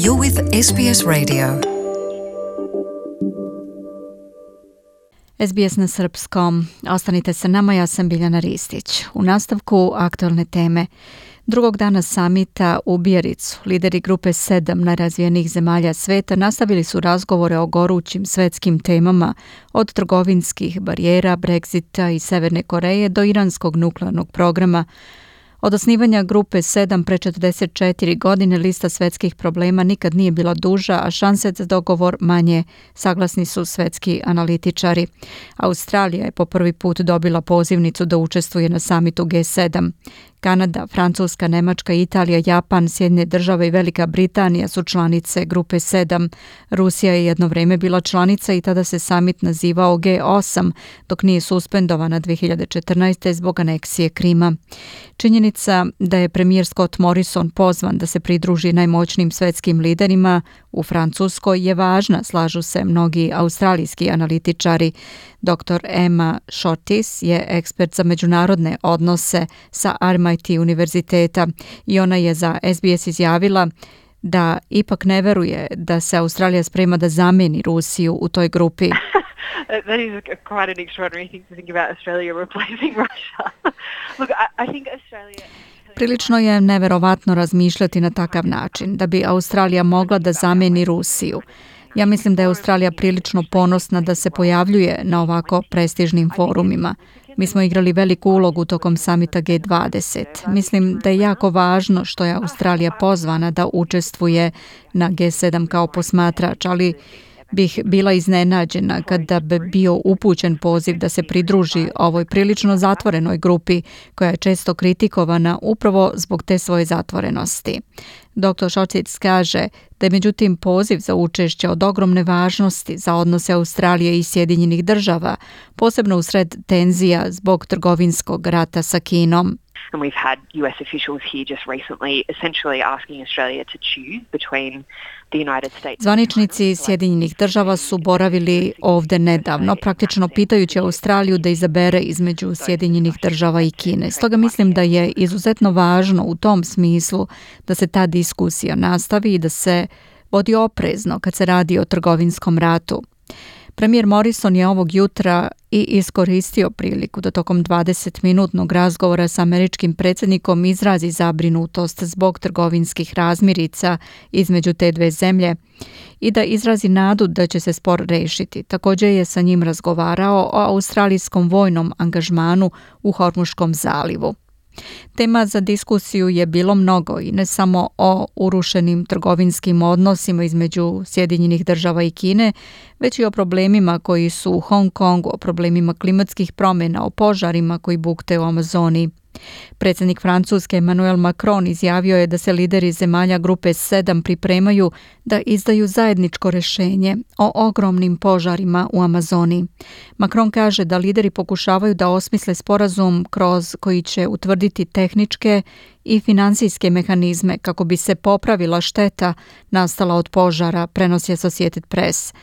You're with SBS Radio. SBS na srpskom. Ostanite sa nama, ja sam Biljana Ristić. U nastavku aktualne teme. Drugog dana samita u Biaricu, lideri grupe 7 najrazvijenijih zemalja sveta nastavili su razgovore o gorućim svetskim temama, od trgovinskih barijera, Brexita i Severne Koreje do iranskog nuklearnog programa. Od osnivanja grupe 7 pre 44 godine lista svetskih problema nikad nije bila duža, a šanse za dogovor manje, saglasni su svetski analitičari. Australija je po prvi put dobila pozivnicu da učestvuje na samitu G7. Kanada, Francuska, Nemačka, Italija, Japan, Sjedinjene Države i Velika Britanija su članice grupe 7. Rusija je jedno vrijeme bila članica i tada se samit nazivao G8, dok nije suspendovana 2014. zbog aneksije Krima. Činjenica da je premijer Scott Morrison pozvan da se pridruži najmoćnijim svetskim liderima u Francuskoj je važna, slažu se mnogi australijski analitičari. Dr. Emma Shortis je ekspert za međunarodne odnose sa RMIT univerziteta i ona je za SBS izjavila da ipak ne veruje da se Australija sprema da zamijeni Rusiju u toj grupi. That is quite an extraordinary thing to think about Australia replacing Russia. Look, I think Australia... Prilično je neverovatno razmišljati na takav način, da bi Australija mogla da zamijeni Rusiju. Ja mislim da je Australija prilično ponosna da se pojavljuje na ovako prestižnim forumima. Mi smo igrali veliku ulogu tokom samita G20. Mislim da je jako važno što je Australija pozvana da učestvuje na G7 kao posmatrač, ali bih bila iznenađena kada bi bio upućen poziv da se pridruži ovoj prilično zatvorenoj grupi koja je često kritikovana upravo zbog te svoje zatvorenosti. Dr. Šocic kaže da je međutim poziv za učešće od ogromne važnosti za odnose Australije i Sjedinjenih Država, posebno usred tenzija zbog trgovinskog rata sa Kinom. And we've had US officials here just recently essentially asking Australia to choose between the United States. Zvaničnici Sjedinjenih Država su boravili ovdje nedavno, praktično pitajući Australiju da izabere između Sjedinjenih Država i Kine. Stoga mislim da je izuzetno važno u tom smislu da se ta diskusija nastavi i da se vodi oprezno kad se radi o trgovinskom ratu. Premijer Morrison je ovog jutra i iskoristio priliku da tokom 20-minutnog razgovora sa američkim predsjednikom izrazi zabrinutost zbog trgovinskih razmirica između te dve zemlje i da izrazi nadu da će se spor rešiti. Također je sa njim razgovarao o australijskom vojnom angažmanu u Hormuškom zalivu. Tema za diskusiju je bilo mnogo i ne samo o urušenim trgovinskim odnosima između Sjedinjenih Država i Kine, već i o problemima koji su u Hong Kongu, o problemima klimatskih promjena, o požarima koji bukte u Amazoniji. Predsjednik Francuske Emmanuel Macron izjavio je da se lideri zemalja grupe 7 pripremaju da izdaju zajedničko rješenje o ogromnim požarima u Amazoniji. Macron kaže da lideri pokušavaju da osmisle sporazum kroz koji će utvrditi tehničke i financijske mehanizme kako bi se popravila šteta nastala od požara, prenosi Associated Press.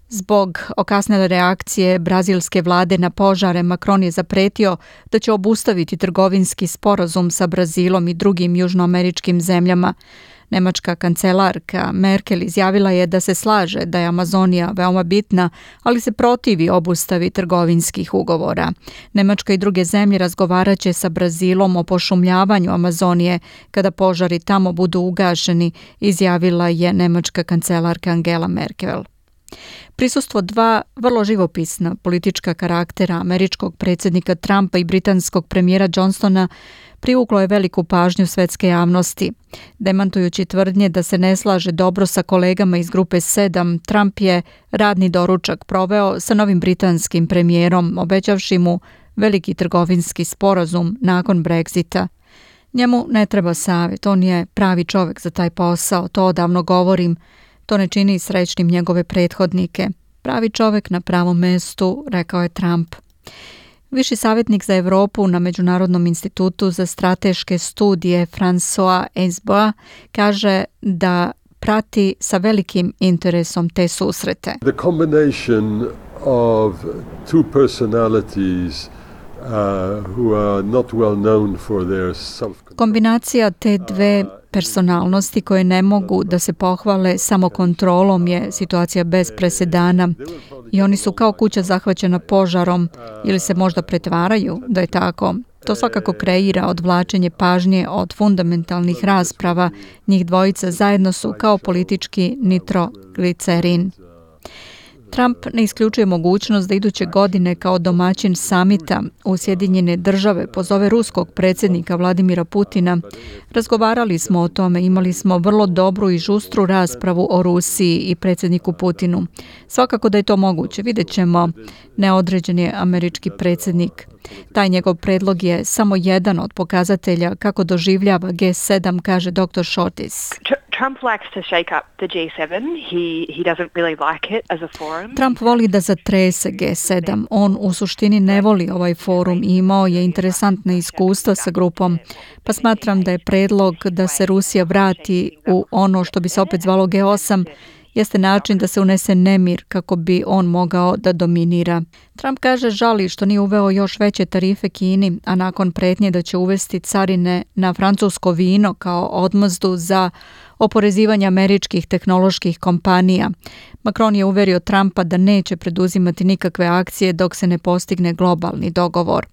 Zbog okasnele reakcije brazilske vlade na požare, Macron je zapretio da će obustaviti trgovinski sporazum sa Brazilom i drugim južnoameričkim zemljama. Nemačka kancelarka Merkel izjavila je da se slaže da je Amazonija veoma bitna, ali se protivi obustavi trgovinskih ugovora. Nemačka i druge zemlje razgovarat će sa Brazilom o pošumljavanju Amazonije kada požari tamo budu ugašeni, izjavila je nemačka kancelarka Angela Merkel. Prisustvo dva vrlo živopisna politička karaktera, američkog predsjednika Trumpa i britanskog premijera Johnsona, privuklo je veliku pažnju svetske javnosti. Demantujući tvrdnje da se ne slaže dobro sa kolegama iz grupe 7, Trump je radni doručak proveo sa novim britanskim premijerom, obećavši mu veliki trgovinski sporazum nakon Brexita. Njemu ne treba savjet, on je pravi čovjek za taj posao, to odavno govorim. To ne čini srećnim njegove prethodnike. Pravi čovjek na pravom mestu, rekao je Trump. Viši savjetnik za Europu na Međunarodnom institutu za strateške studije François Esbois kaže da prati sa velikim interesom te susrete. The combination of two personalities who are not well known for their Kombinacija te dve personalnosti koje ne mogu da se pohvale samo kontrolom je situacija bez presedana i oni su kao kuća zahvaćena požarom ili se možda pretvaraju da je tako. To svakako kreira odvlačenje pažnje od fundamentalnih rasprava. Njih dvojica zajedno su kao politički nitroglicerin. Trump ne isključuje mogućnost da iduće godine kao domaćin samita u Sjedinjene Države pozove ruskog predsjednika Vladimira Putina. Razgovarali smo o tome, imali smo vrlo dobru i žustru raspravu o Rusiji i predsjedniku Putinu. Svakako da je to moguće, vidjet ćemo, neodređen je američki predsjednik. Taj njegov predlog je samo jedan od pokazatelja kako doživljava G7, kaže dr. Shortis. Trump likes to shake up the G7. He doesn't really like it as a forum. Trump voli da zatrese G7. On u suštini ne voli ovaj forum i imao je interesantne iskustva sa grupom. Pa smatram da je predlog da se Rusija vrati u ono što bi se opet zvalo G8 jeste način da se unese nemir kako bi on mogao da dominira. Trump kaže žali što nije uveo još veće tarife Kini, a nakon pretnje da će uvesti carine na francusko vino kao odmazdu za oporezivanje američkih tehnoloških kompanija. Macron je uverio Trumpa da neće preduzimati nikakve akcije dok se ne postigne globalni dogovor.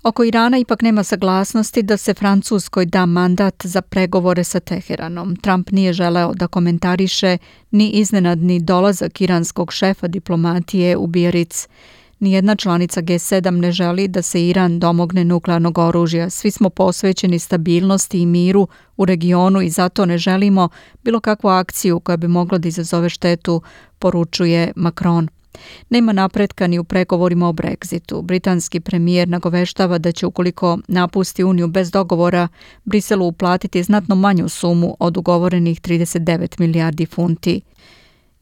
Oko Irana ipak nema saglasnosti da se Francuskoj da mandat za pregovore sa Teheranom. Trump nije želeo da komentariše ni iznenadni dolazak iranskog šefa diplomatije u Biarritz. Nijedna članica G7 ne želi da se Iran domogne nuklearnog oružja. Svi smo posvećeni stabilnosti i miru u regionu i zato ne želimo bilo kakvu akciju koja bi mogla da izazove štetu, poručuje Macron. Nema napretka ni u pregovorima o Brexitu. Britanski premijer nagoveštava da će ukoliko napusti Uniju bez dogovora, Briselu uplatiti znatno manju sumu od ugovorenih 39 milijardi funti.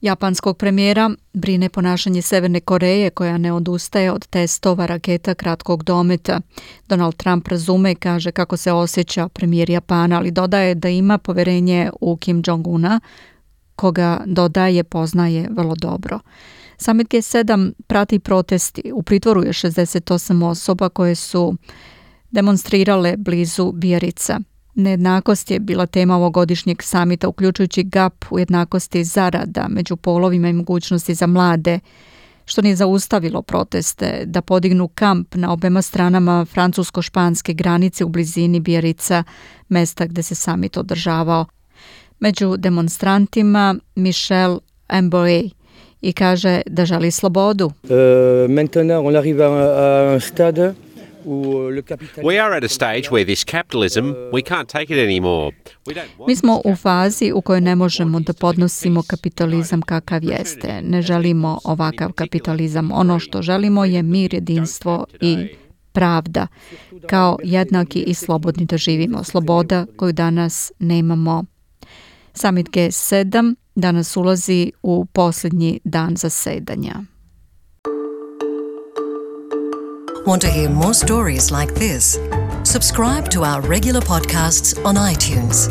Japanskog premijera brine ponašanje Severne Koreje koja ne odustaje od testova raketa kratkog dometa. Donald Trump razume, kaže kako se osjeća premijer Japana, ali dodaje da ima poverenje u Kim Jong-una, koga dodaje poznaje vrlo dobro. Summit G7 prati protesti. U pritvoru je 68 osoba koje su demonstrirale blizu Biarritza. Nejednakost je bila tema ovogodišnjeg samita, uključujući gap u jednakosti zarada među polovima i mogućnosti za mlade, što nije zaustavilo proteste da podignu kamp na obema stranama francusko-španske granice u blizini Biarritza, mesta gde se samit održavao. Među demonstrantima Michel Amboé i kaže da želi slobodu. Maintenant on arrive à un stade. We are at a stage where this capitalism, we can't take it anymore. Mi smo u fazi u kojoj ne možemo da podnosimo kapitalizam kakav jeste. Ne želimo ovakav kapitalizam. Ono što želimo je mir, jedinstvo i pravda. Kao jednaki i slobodni da živimo. Sloboda koju danas nemamo. Summit G7 danas ulazi u posljednji dan zasedanja. Want to hear more stories like this? Subscribe to our regular podcasts on iTunes.